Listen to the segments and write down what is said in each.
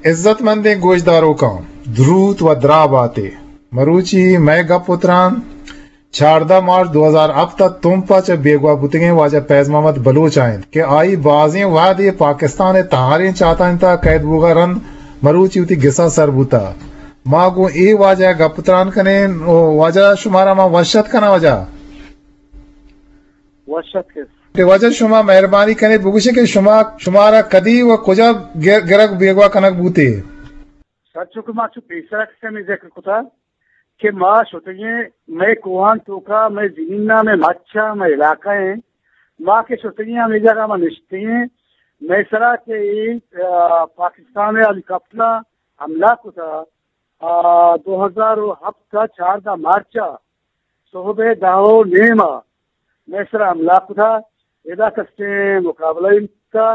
عزت مندیں گوشداروکاں، دروت و دراہ باتے۔ مروچی مئے گپ و تران چاردہ مارچ دو ہزار ہپت ء تمپ ء چہ بیگواہ بوتگیں واجہ فیض محمد بلوچ ء انت کہ آئی بازیں وہدے پاکستان ء تہاریں چاتانی تہا قید بوگ ء رند مروچی وتی گسا سر بوتہ۔ ما گوں اے واجہ ء گپ تران کنیں۔ او واجہ، شمارا ما وش اتک کناں واجہ۔ وش اتک۔ کہ واجہ شما مہربانی کنیت بگوشے کہ شما، شمارا کدی و کجا گر-، گرگ بیگواہ کنگ بوتے؟ سر چو کہ ما چو پیسرا کسے ہمے ذکر کتا کہ ما شتگیں مئے کوہان توکا، مئے زمیناں، مئے مچاں، مئے علاقہ ایں۔ ما کہ شتگیں ہمے جاگہ ما نشتگیں، مئے سرا کہ اے، آ، پاکستان ء ہیلی کاپٹراں حملہ کتا، آ، دو ہزار و ہپت ء چاردہ مارچ ء صحب ء دہ و نیم ء مئے سرا حملہ کتا۔ ادا کسیں مقابلہ ای نہ کتا۔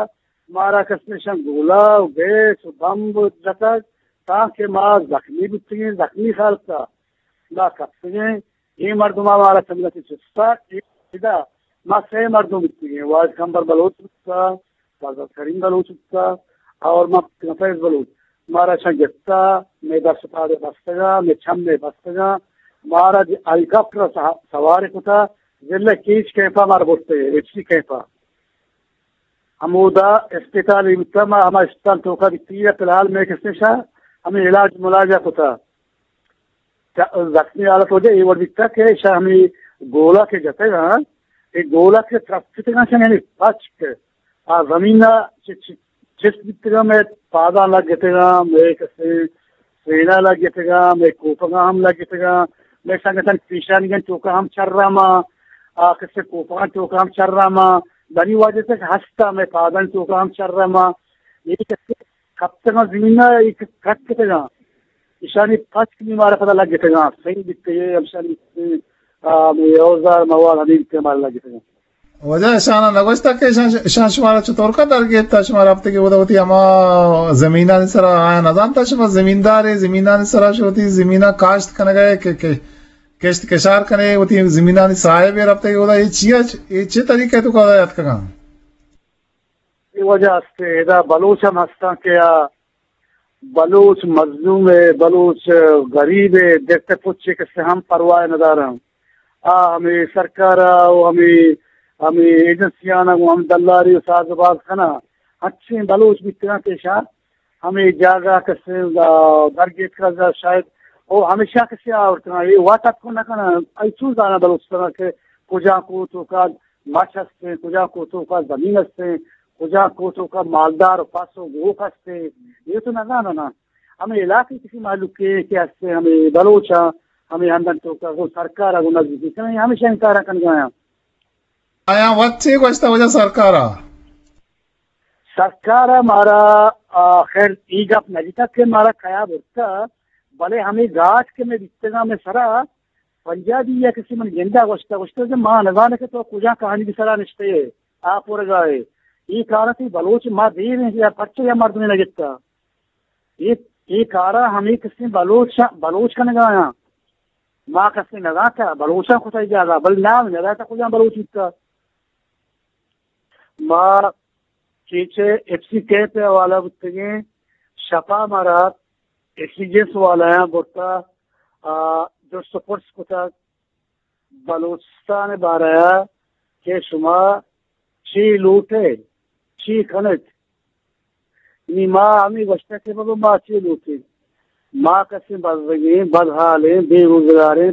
مارا کسیں شان گولہ و گیس و بمب جتگ، تانکہ ما زخمی بوتگیں، زخمی خیال کتا۔ ما کپتگیں۔ اے مردماں مارا چہ ملت چستا۔ ادا ما سئے مردم بوتگیں، واحد کمبر بلوچ بوتا، سردار کریم بلوچ بوتا، اور ما فیض بلوچ۔ مارا شان گپتا، مئے دست پاد بستگا، مئے چم بستگا، مارا ہیلی کاپٹر سوار کتا، ضلع کیچ کیمپا مارا برتے، ایف سی کیمپا۔ ہمودا اسپتال ای بوتا، ما ہما اسپتال توکا بیتی، فی الحال مئے کسیں شان ہمے علاج ملاجا کتا۔ چ-، زخمی حالت وجہ اے وڑ بیتا کہ شان ہمے گولہ کہ جتگاں، اے گولہ کہ ترپتگاں شان یعنی پچک آ زمین ء چ-، چ-، چست بیتگاں، مئے پاداں لگ اتگاں، مئے کسے سینا لگ اتگاں، مئے کوپگاں ہم لگ اتگاں، مئے سنگتاں پیشانیگاں توکا ہم چرا ما، آ کسے کوپگاں توکا ہم چرا ما، دنی واجہ تک ہستا مئے پاداں توکا ہم چرا ما۔ اے کسے کپتگاں زمین ء، اے کٹ کتگاں۔ ایشانی پچک نی مارا پدا لگ اتگاں۔ سنگ بیتگے، ہمشانی، آ، ہمے اوزار مواد ہمے بیتگے مارا لگ اتگاں۔ واجہ اشانا نگوشتا کہ اشان، اشان شمارا چطور کا در گیتا؟ شمارا ہفتے کہ اودا وتی ہما زمینانی سرا آیا نزانتا؟ شما زمیندارے، زمینانی سرا شو وتی زمینا کاشت کنگا کہ، کہ کشت کشار کنے، وتی زمینانی صاحب اے، رفتے کہ اودا اے چیا، اے چے طریقے تو کا یاد کگا؟ اے وجہ است، ادا بلوچ ہم ہستاں کہ آ بلوچ مظلوم ء، بلوچ غریب ء، دست ء پچ ء کس ء ہم پرواہ نداراں۔ آ ہمے سرکار ء و ہمے، ہمے ایجنسیان ء گوں ہم دلاری و ساز و باز کناں۔ انچیں بلوچ بیتگاں کہ ایشاں ہمے جاگہ کس ء درگیتکگ شاید او ہمیشاں کس ء آورتگاں۔ اے وت اتک نہ کناں۔ ای چون زاناں بلوچستان ء کہ کجا کو توکا مچ ہستیں، کجا کوہ توکا زمین ہستیں، کجا کوہ توکا مالدار و پس و گوک ہستیں، اے تو نزاناں نا۔ ہمے علاقے کسی مہلوکے کہ ہستیں، ہمے بلوچاں، ہمے ہندن توکا گوں سرکارا گوں نزدیکی کنیں، ہمیشہ انکارا کنگایاں۔ آیاں وت چے گوشتا واجہ سرکارا؟ سرکارا مارا، آ، خیر، ای گپ نہ جتا کہ مارا کیا برتا، بلے ہمے گاٹ کہ میں بیتگاں میں سرا، پنجابی یا کسی من گندا گوشتا، گوشتا کہ ما نزانے کہ تو کجا کہانی کی سرا نشتے ئے، آپ ورگا ئے۔ ای کارا تی بلوچ ما دیر ہیں یا پرچہ یا مردمی نہ گتا۔ ای، ای کارا ہمیں کسی بلوچ، بلوچ کنگا یا۔ ما کسی نزانتا، بلوچا کتا ای جاگا، بل نام نزانتا کجا بلوچ بیتا۔ ما چیچے ایف سی کیمپ ء حوالہ بوتگیں، شپا مارا ایف سی جنس والایاں برتا، آ، جست و پرس کتگ بلوچستان ء بارہ ء کہ شما چی لوٹ ء چی کن ات؟ نی ما ہمے گوشتگ کہ بابا ما چی لوٹیں؟ ما کسیں بزگیں، بدحالیں، بے روزگاریں،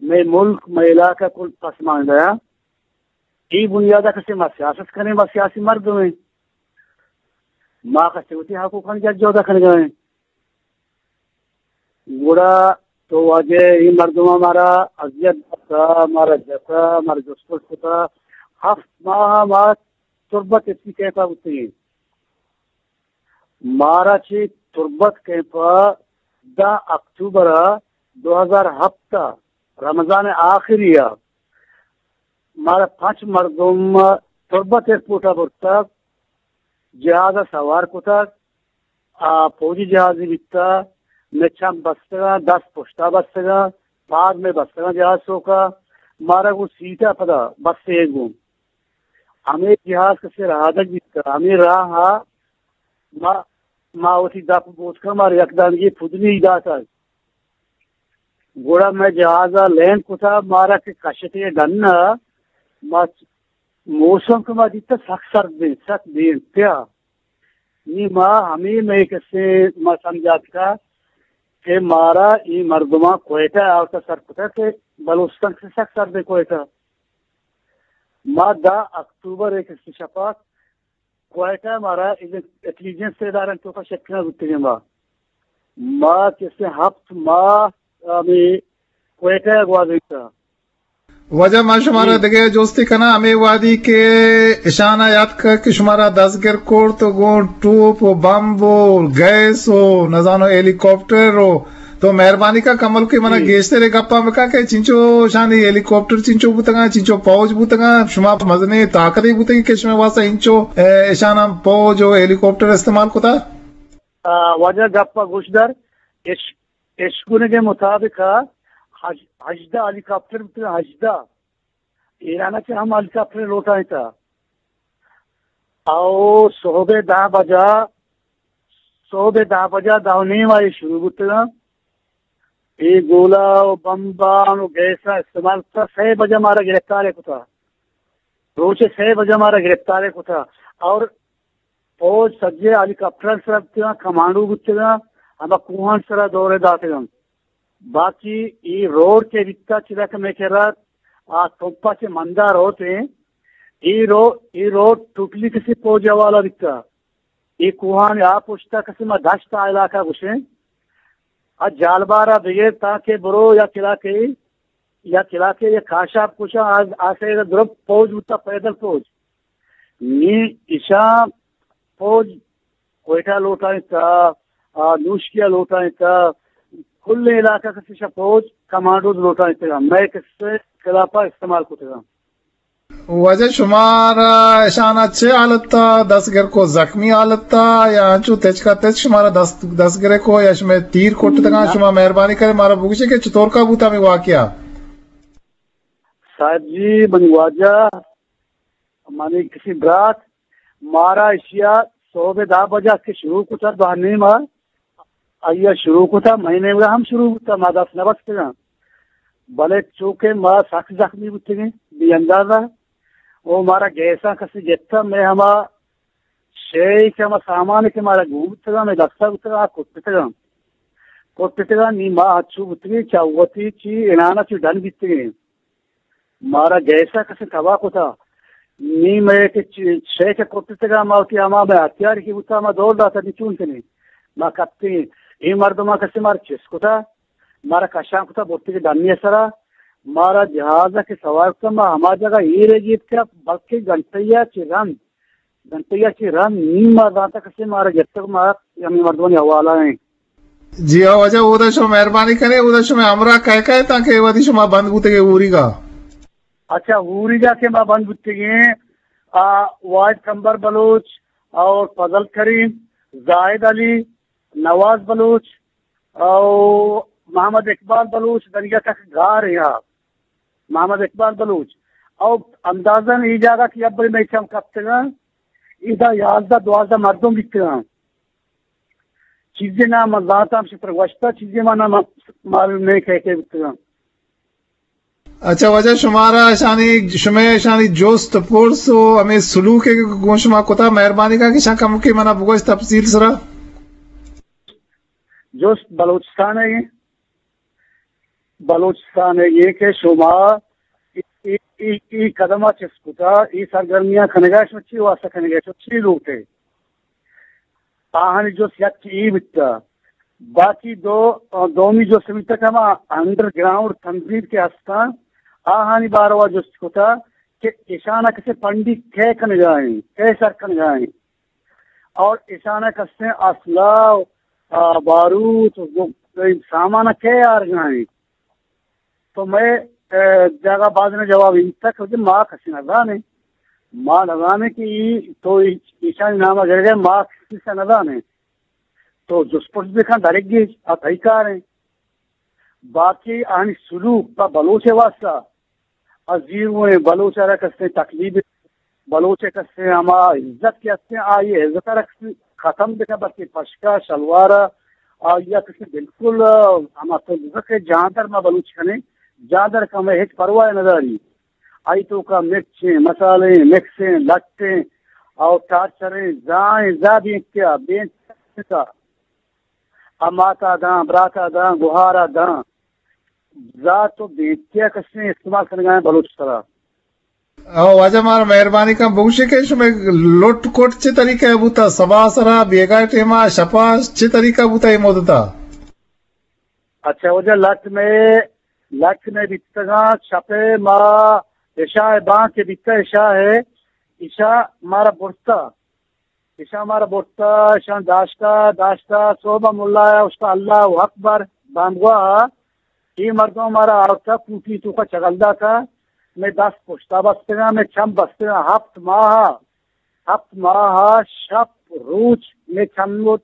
مئے ملک، مئے علاقہ کل پسماندہ ء۔ اے بنیاد ء کسے ما سیاست کنیں، ما سیاسی مردمیں۔ ما کسے وتی حقوقانی جد جہد ء کنگا ایں۔ گڑا تو واجہ اے مردماں مارا اذیت داتا، مارا جتا، مارا جست پرس کتا۔ ہفت ماہ ما تربت ایف سی کیمپ ء بوتگیں۔ مارا چہ تربت کیمپ ء دہ اکتوبر ء دو ہزار ہپت ء رمضان ء آخری ء مارا پنچ مردم تربت ایئرپورٹ ء برتگ، جہاز ء سوار کتگ، آ، فوجی جہازے بیتگ، مئے چم بستگاں، دست پشتا بستگاں، پاد مئے بستگاں جہاز سوکا، مارا گوں سیٹ ء پدا بستے گوں۔ ہمے جہاز کسے رہادگ بیتگ، ہمے راہ ء ما ما وتی دپ بوتکا، مارا یک دانگی پدنی داتا۔ گڑا مئے جہازا لینڈ کتا، مارا کہ کشتے ڈنا، ما موسم کہ ما دیتا سک سرد بین، سک بین پیا۔ نی ما ہمے مئے کسے ما سمجھاتکا کہ مارا ای مردمان کوئٹہ آورتا سر کتا کہ بلوچستان کہ سک سرد بین کوئٹہ۔ ما دہ اکتوبر ء کسے شپا کوئٹہ مارا ایجن-، انٹیلیجنس ادارہ توکا شکنا بوتگیں ما۔ ما کسے ہپت ماہ ہمے کوئٹہ گوازینتا۔ واجہ، ما شمارا جی۔ دگہ جستے کناں، ہمے وہدی کہ اشانا یات کت کہ شمارا دزگیر کرت و گوں ٹوپ و بمب و گیس و نزانو ہیلی کاپٹر و تو مہربانی کا کمل کہ منا جی۔ گیشتر گپا بکا کہ چنچو شانی ہیلی کاپٹر چنچو بوتگاں، چنچو پوج بوتگاں، شما مزنیں طاقتے بوتگیں کہ شما واسطہ انچو، اے، اشانا پوج و ہیلی کاپٹر استعمال کتا؟ آ، واجہ گپا گوش دار، اش-، اشکنگ مطابق ہژ-، ہژدہ ہیلی کاپٹر بوتگاں، ہژدہ۔ ایران ء چہ ہم ہیلی کاپٹر لوٹائینتا۔ او صحب ء دہ بجا، صحب ء دہ بجا، دہ و نیم ء اے شروع بوتگاں۔ اے گولہ و بمبان و گیس ء استعمال کتا، سئے بجا مارا گرفتار کتا۔ روچ ء سئے بجا مارا گرفتار کتا۔ اور فوج سجے ہیلی کاپٹر سرا بوتگاں، کمانڈو بوتگاں، ہما کوہان سرا دورے داتگاں۔ باقی اے روڈ کہ بیتا، چدا کہ مئے کرا آ تمپا چہ مندا روت ایں، اے رو-، اے روڈ ٹوٹلی کسی فوج حوالہ بیتا۔ اے کوہان آ پشتا کسی ما دشت آ علاقہ گوشیں۔ آ جالبارا بگیر تاکہ برو یا کلاکے، یا کلاکے یا کاشاپ کشا آ، آ سیدا درب فوج بوتا، پیدل فوج۔ نی ایشاں فوج کوئٹہ لوٹائینتا، آ، نوشکیا لوٹائینتا، کل علاقہ کسے شہ فوج کمانڈوز لوٹائینتگا، مئے کسے خلافا استعمال کتگا۔ واجہ، شمارا اشانا چے حالتا دستگر کو، زخمی حالتا یا انچو تچکا تچ شمارا دست، دستگر کو یا شمے تیر کٹتگا؟ نہ۔ شما مہربانی کرے مارا بگوشے کہ چطور کا بوتا ہمیں واقعہ؟ صاحب جی، منی واجہ، منی کسی برات، مارا اشیا صحب دہ بجا کہ شروع کتا، دہ نیما، آیا شروع کتا، مئے نیمگا ہم شروع بوتا، ما دست نبستگاں۔ بلے چونکہ ما سخت زخمی بوتگیں، بے اندازہ، او مارا گیساں کسی گپتا، مئے ہما شے کہ ہما سامان کہ مارا گون بوتگاں، مئے دستا بوتگاں، آ کٹتگاں۔ کٹتگاں، نی ما ہچو بوتگیں، چہ وتی چی انانا چی ڈن بیتگیں۔ مارا گیسا کسے تباہ کتا۔ نی مئے کہ چ-، شے کہ کٹتگا، ما وتی ہما مئے ہتھیار کہ بوتا، ما دور داتا، نی چون کنیں؟ ما کپتیں۔ اے مردما کسے مارا چست کتا، مارا کشان کتا، برتگے ڈنی سرا۔ مارا جہازا کہ سوار کتا، ما ہما جگہ ایر گیت کہ بلکہ گھنٹہ یا چہ رند، گھنٹہ یا چہ رند نی ما زانتا کسے مارا گپتگ، ما ہمے مردمانی حوالہ ایں۔ جی ہاں واجہ، اودا شما مہربانی کنے، اودا شما ہمراہ کئے کئے تاں کہ وتی شما بند بوتگے اوریگا؟ اچھا، اوریگا کہ ما بند بوتگیں، آ، واحد کمبر بلوچ اور فضل کریم، زاہد علی، نواز بلوچ اور محمد اقبال بلوچ، دنگا تک گار ہیں آپ۔ محمد اقبال بلوچ۔ اور اندازاً یہ جاگہ کہ اب میں چم کپتگا، ادا یازدہ دوازدہ مردم بیتگاں۔ چیزے نام من زانتاں، ہمشی تر گوشتا، چیزے ما نام معلوم نہیں کئے کئے بوتگاں۔ اچھا واجہ، شمارا اشانی، شمے اشانی جست پرس و ہمے سلوک کہ گوں شما کتا، مہربانی کا کہ شان کمکی منا بگوش تفصیل سرا۔ جست بلوچستان ہے، بلوچستان ہے یہ کہ شما ای، ای، ای، ای قدم چست کتا، ای سرگرمیاں کنگا، شما چی واسطہ کنگا، شما چی لوٹے؟ آہانی جست یک اے بیتا۔ باقی دو، دومی جست بیتا کہ ہما انڈر گراؤنڈ تنظیم کہ ہستاں، آہانی باروا جست کتا کہ اشانا کسے پنڈی کئے کنگا ایں، کئے سر کنگا ایں۔ اور اشانا کسے اسلحہ، آ، باروت، سامان کئے آرگا ایں۔ تو مئے، اے، جاگہ بازیں جواب انت کہ ما کسی نزانیں۔ ما نزانیں کہ ای، تو ای، ایشانی نام گرگے، ما کسی سے نزانیں۔ تو جست پرس بکن، درگی، آ تئی کار ہیں۔ باقی آنی سلوک پہ بلوچ واسطہ، آ زیرویں بلوچ را کسیں تکلیف، بلوچ کسیں ہما عزت کہ ہستیں، آئی عزت را کسیں ختم بکن، بس پشکا شلوارا، آ، یا کسی بالکل، آ، ہما تو کہ جاندر ما بلوچ کنیں، جاندر کہ ہمیں ہچ پرواہ نہ داری۔ آئی توکا مرچیں، مسالیں، مکسیں، لٹیں، او ٹارچریں، زائیں، زا بینتیا، بینتیا۔ آ ماتا داں، براتا داں، گہارا داں۔ زا تو بینتیا کسیں استعمال کنگا ایں بلوچ سرا۔ او واجہ مارا مہربانی کن بگوشے کہ شمے لٹ کٹ چے طریقہ بوتا؟ سبا سرا، بیگاہ ٹیما، شپا چے طریقہ بوتا اے مدتا؟ اچھا واجہ، لٹ میں، لٹ میں بیتگاں، شپے ما عشاء بانگ کہ بیتا، عشاء ہے، عشاء مارا برتا۔ ایشاں مارا برتا، ایشاں داشتا، داشتا، صحب ءَ ملا ءَ اوشتا، اللہ اکبر، بانگواہ ءَ، اے مردم مارا آورتا، کوٹی توکا چگل داتا، مئے دست پشتا بستگاں، مئے چم بستگاں، ہپت ماہ، ہپت ماہ شپ روچ مئے چم،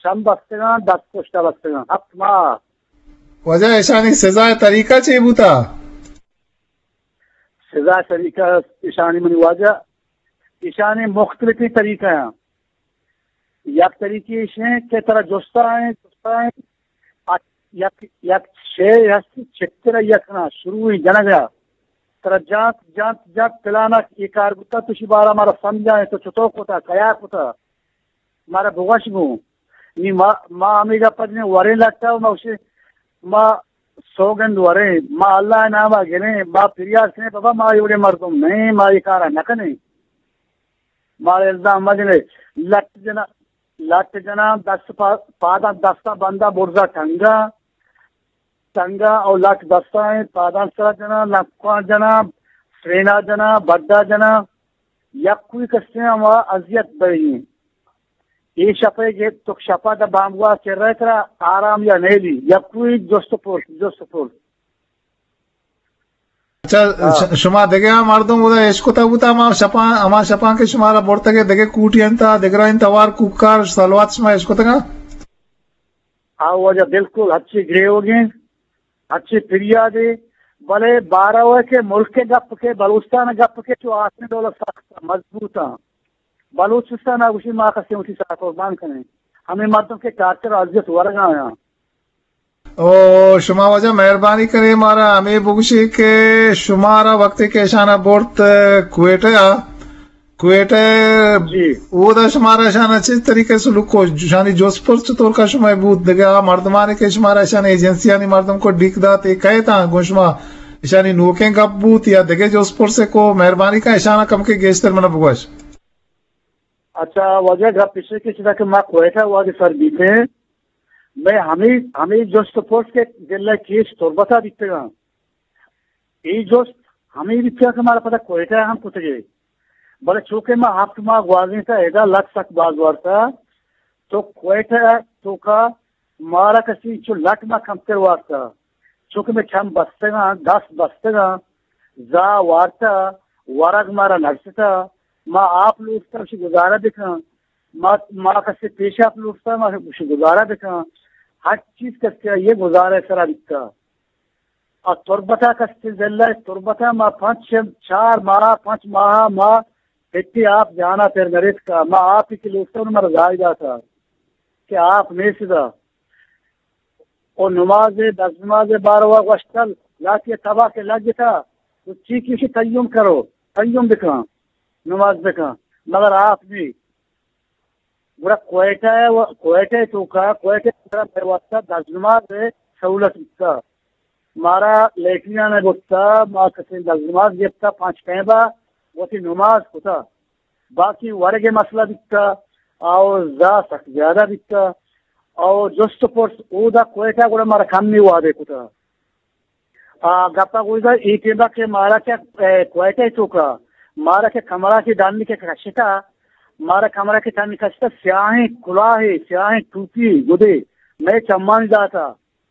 چم بستگاں، دست پشتا بستگاں، ہپت ماہ۔ واجہ، ایشانی سزا ءِ طریقہ چے بوتا؟ سزا ءِ طریقہ ایشانی، منی واجہ، ایشانی مختلفیں طریقہ ہیں۔ یک طریقے ایش ہیں کہ ترا جستا ہیں، جستا ہیں، ات-، یک، یک شے ہست، چتر یک نا، شروع جنگا۔ ترا جانت، جانت، جانت، پلانا یہ کار بوتا، تو شی بارا مارا سمجھا ہے، تو چطور کوتا، کیا کوتا، مارا بگوش گوں۔ نی ما، ما ہمے گپ ءَ جنیں وریں لٹ ءَ، ما گوشیں، ما سوگند وریں، ما اللہ ءِ نام ءَ گریں، ما پریار کنیں، بابا ما ایوڑیں مردم نہیں، ما اے کار ءَ نہ کنیں۔ مارا الزام مہ جنے۔ لٹ جنا، لٹ جنا، دست پا-، پاداں دستاں بنداں برزا ٹنگاں، ٹنگاں او لٹ دستاں، پاداں سرا جنا، لکواں جنا، سرینا جنا، بڈا جنا۔ یک کوئی کسے ہما اذیت بئیں۔ اے شپے کہ تو شپا دا بانگوا چرے ترا آرام یا نیلی۔ یک کوئی جست و پرس، جست و پرس۔ اچھا، ہاں۔ ش-، شما دگہ مردم اودا اشکتا بوتا، ہما شپاں، ہما شپاں کہ شمارا برتگے دگہ کوٹی انتا، دگرا انت، ہوار کوکار، سلوات شما اشکتگا؟ ہاں واجہ، بالکل ہچی گریوگیں، ہچی پریادے، بلے بارو ہے کہ ملک گپ کے، بلوچستان گپ کے، چو آسن ڈولا سخت مضبوطاں۔ بلوچستان ءَ گوشی ما کسے وتی سر قربان کنیں۔ ہمے مردم کہ ٹارچر اذیت ورگا آیاں۔ او شما واجہ مہربانی کرے مارا ہمے بگوشی کہ شمارا وقتی کہ اشانا برت کوئٹہ ءَ، کوئٹہ جی۔ اودا شمارا اشانا چیز طریقے سلوک کو، اشانی جوس پرس چطور کا شما بوت؟ دگہ آ مردمانی کہ شمارا اشانی ایجنسیانی مردم کو ڈیک دات، اے کئے تاں گوں شما اشانی نوکیں گپ بوت یا دگہ جوس پرسے کو؟ مہربانی کا اشانا کم کے گیشتر منا بگوش۔ اچھا، واجہ گپ ایش کہ چدا کہ ما کوئٹہ وہدے سر بیتیں، مئے ہمے، ہمے جست و پرس کہ ضلع کیچ تربت ءَ بیتگاں۔ اے جست ہمے بیتگاں کہ مارا پدا کوئٹہ ہم کتگے۔ بلے چونکہ ما ہفت ماہ گوازینتا، ادا لٹ سک باز وارتا، تو کوئٹہ توکا مارا کسی چو لٹ ما کمتر وارتا، چونکہ مئے چم بستگاں، دست بستگاں، زا وارتا، ورگ مارا نرستا، ما آپ لوٹتا، اشی گزارہ بکن، ما، ما کسی پیشاپ لوٹتا، ما اشی گزارہ بکن، ہر چیز کسی یہ گزارہ سرا بیتا۔ آ تربتا کسی ضلع تربتا ما پنچ، چار ماہ، پنچ ماہ ما ہچی آپ جانا پر نریتکا، ما آپ کی لوٹتا، انہوں مارا زائی داتا کہ آپ نیسدا۔ او نماز، دست نماز باروا گوشتل، لاتی تباہ کہ لگتا، تو چی کسی تیمم کرو، تیمم بکن، نماز بکن، مگر آپ نی۔ گڑا کوئٹہ ءَ و-، کوئٹہ ءِ توکا، کوئٹہ ءِ توکا مئے واسطہ دست نماز ءِ سہولت بیتا۔ مارا لیٹرین ءَ برتا، ما کسیں دست نماز گپتا پانچ ٹائم ءَ وتی نماز کتا۔ باقی ورگ ءِ مسئلہ بیتا، او زا سک زیادہ بیتا، او جست و پرس اودا کوئٹہ گڑا مارا کمی وعدے کتا۔ آ، گپا گوشدا، اے ٹیما کہ مارا کہ، اے، کوئٹہ ءِ توکا، مارا کہ کمرہ کہ ڈن کہ کشتا، مارا کمرہ کہ ڈن کشتا، سیاہیں کلاہے، سیاہیں ٹوپی گدے، مئے چمانی داتا،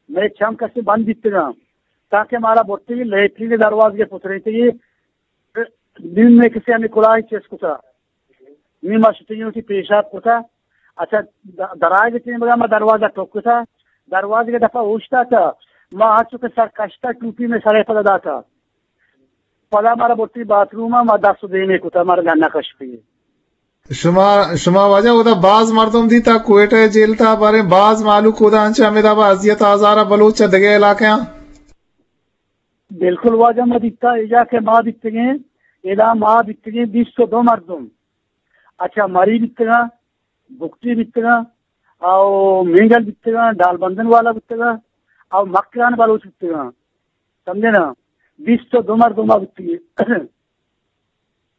مئے چم کسے بند بیتگاں، تاکہ مارا برتگی لیٹرین ءِ دروازگ ءَ پترینتگی، نیم مئے کسے ہمے کلاہے چست کتا۔ نی ما شتگیں وتی پیشاپ کتا۔ اچھا، د-، درائگ ٹیمگا ما دروازہ ٹک کتا۔ دروازگ ءِ دپا اوشتاتا۔ ما ہرچو کہ سر کشتا، ٹوپی مئے سرے پدا داتا۔ پدا مارا برتی باتھ روم ءَ، ما دست و دیمے کتا، مارا ڈنا کشتی۔ شما، شما واجہ اودا باز مردم دیتا کوئٹہ جیل تا، باریں باز مالوک اودا انچہ ہمے دابا اذیت آزارا بلوچ چہ دگہ علاقیاں؟ بالکل واجہ، ما دیتا، ادا کہ ما بیتگیں، ادا ما بیتگیں بیست و دو مردم۔ اچھا، مری بیتگاں، بگٹی بیتگاں، او مینگل بیتگاں، ڈالبندن والا بیتگاں، او مکران بلوچ بیتگاں۔ سمجھے نا؟ بیست و دو مردم بیتگیں۔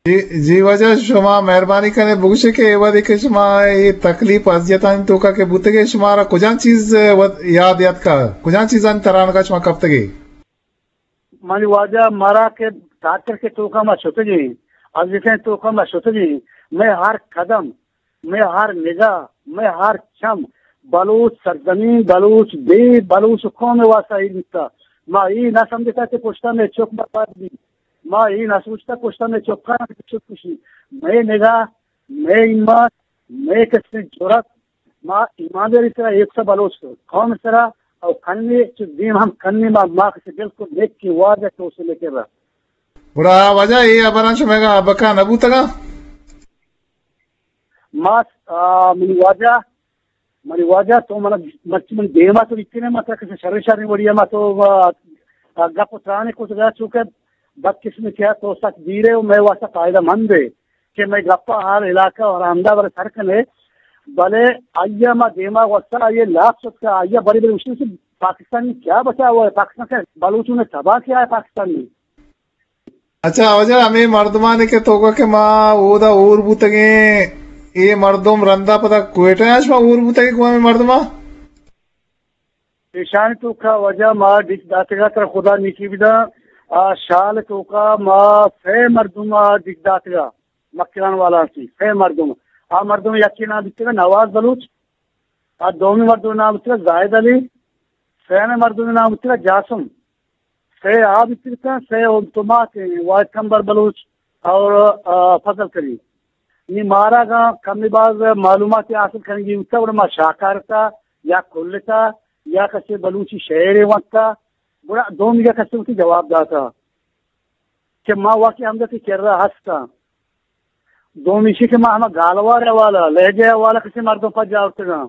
جی، جی واجہ، شما مہربانی کنے بگوشے کہ اے وہدے کہ شما اے تکلیف اذیتانی توکا کہ بوتگے، شمارا کجام چیز وت-، یاد یاتکا، کجام چیزانی ترانگا شما کپتگے؟ منی واجہ، مارا کہ ٹارچر کے توکا ما شتگیں، اذیتیں توکا ما شتگیں، مئے ہر قدم، مئے ہر نگاہ، مئے ہر چم بلوچ سرزمین، بلوچ دے، بلوچ قوم واسطہ ایر بیتا۔ ما اے نہ سمجھتا کہ پشتا مئے چک برباد بی۔ ما اے نہ سوچتا پشتا مئے چکاں چک کشی۔ مئے نگاہ، مئے ایمان، مئے کسیں جرات، ما ایمانداری سرا ایک سا بلوچ قوم سرا او کنے چہ دیم ہم کنے ما، ما کسے بالکل نیکی واجہ تو سے لے کے رہا۔ گڑا واجہ اے ہبراں شمئے گا ابکا نہ بوتگا؟ ما، آ، منی واجہ، منی واجہ تو من، مرچی من دیما تو اتنے ما تک سے شر شر وڑیا ما تو، آ، آ، گپ و ترانے کو گیا چونکہ بدقسمتی ہے تو سک دیرے و مئے واسطہ فائدہ مند ہے کہ مئے گپا ہر علاقہ و ہر ہمدا بر سر کنے، بلے آئیا ما دیما واسطہ آئیے لاپ شت کہ آئیا بری بری مشکل سے پاکستانی کیا بچا ہوا ہے، پاکستان کا بلوچوں نے تباہ کیا ہے پاکستانی۔ اچھا، واجہ، ہمے مردمانی کہ توکا کہ ما اودا ہور بوتگیں، اے مردم رندا پدا کوئٹہ اش ما ہور بوتگیں گوں ہمے مردماں؟ ایشانی توکا واجہ ما ڈیک داتگا، ترا خدا نیکی بدا، آ شال توکا ما سئے مردم آ ڈیک داتگا، مکران والا سی سئے مردم۔ آ مردم یکی نام بیتگا نواز بلوچ، آ دومی مردم نام بیتگا زاہد علی، سیمی مردم نام بیتگا جاسم۔ سئے آ بیتگا، سئے اولتمات ہیں، واحد کمبر بلوچ اور، آ، فضل کریم۔ نی مارا گا کمی باز معلومات حاصل کرنگی ہوتا، گڑا ما شاکارتا یا کلتا یا کسے بلوچی شعر وانتا، گڑا دومی گا کسے وتی جواب داتا کہ ما واقعی ہمدا تی کرا ہستا۔ دومی شی کہ ما ہما گالوار حوالہ، لہجہ حوالہ کسے مردم پجا اتگاں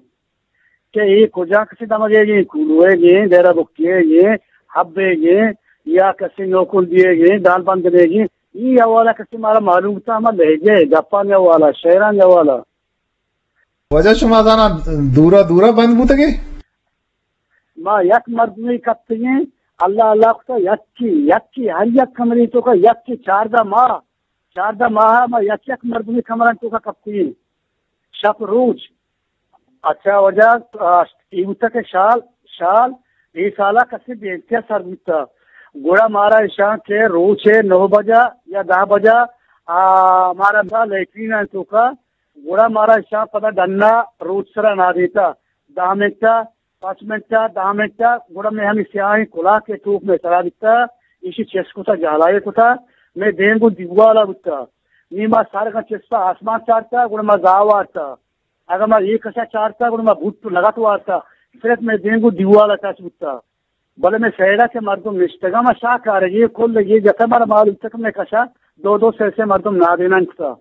کہ اے کجا کسے دمگے گے، کولوئے گے، ڈیرہ بکیے گے، حبے گے، یا کسے نوکل دیے گے، دال بندنے گے، ای حوالہ کسے مارا معلوم تا، ہما لہجہ، گپانی حوالہ، شعرانی حوالہ۔ واجہ شما زانا دورا دورا بند بوتگے؟ ما یک مردمے کپتگیں، اللہ اللہ کتا یکی، یکی، ہر یک کمرے توکا یکی، چاردہ ماہ، چاردہ ماہ ما یک یک مردمے کمران توکا کپتگیں۔ شپ روچ۔ اچھا واجہ، آ، اے بوتا کہ شال، شال، اے سالا کسے بے انتہا سر بوتا۔ گڑا مارا اشاں کہ روچے نو بجا یا دہ بجا، آ، مارا دا لیٹرین توکا، گڑا مارا اشاں پدا ڈنا روچ سرا نادینتا۔ دہ منٹا، پنچ منٹا، دہ منٹا، گڑا مئے ہمے سیاہیں کلاکے ٹوپ مئے سرا بیتا، ایشی چست کتا، جہلائے کتا، مئے دیم گوں دیوالا بوتا۔ نی ما سرگاں چستا آسمان چارتا، گڑا ما زاہ وارتا۔ اگاں ما اے کشا چارتا، گڑا ما بوٹ لگت وارتا۔ صرف مئے دیم گوں دیوالا ٹچ بوتا۔ بلے مئے سیڈا کہ مردم نشتگاں، ما شاہ کارگی، کل گی جتا، مارا معلوم تک مئے کشا دو دو سے سے مردم نادینان کتا۔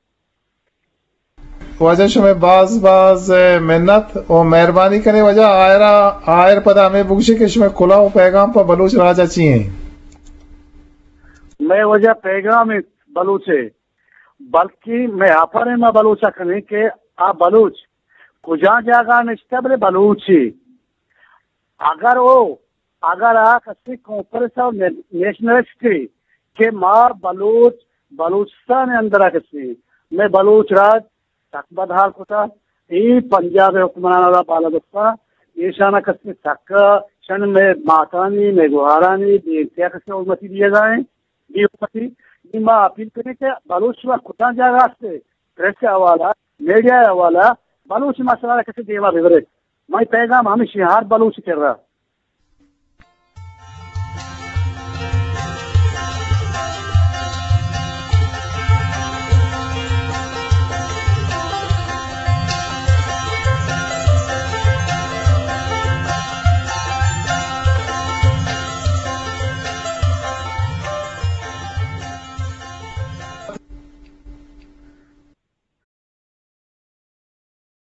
واجہ شمئے باز باز منت و مہربانی کنے واجہ، آئرا، آئر پدا ہمے بگوشے کہ شمئے کلوہ و پیغام پہ بلوچ راجا چی ہیں؟ مئے واجہ پیغام بلوچے، بلکہ مئے آفر ما بلوچا کنیں کہ آ بلوچ کجا جاگہ نشتہ بلے بلوچے۔ اگر او، اگر آ کسی کانفرنس اور نے-، نیشنلسٹ کہ ما بلوچ، بلوچستان اندر کسی، مئے بلوچ راج سک بدحال کتا، اے پنجاب حکمران را بالا دستا، ایشانا کسی سک شن مئے ماتانی، مئے گوہارانی، بے انتہا کسی حرمتی دیگا ہیں، بے حرمتی۔ نی ما اپیل کریں کہ بلوچ شما کجا جاگہ ہستے، پریس حوالہ، میڈیا حوالہ، بلوچ مسئلہ را کسی دیما ببرے۔ مئے پیغام ہمیشی ہر بلوچ کرا۔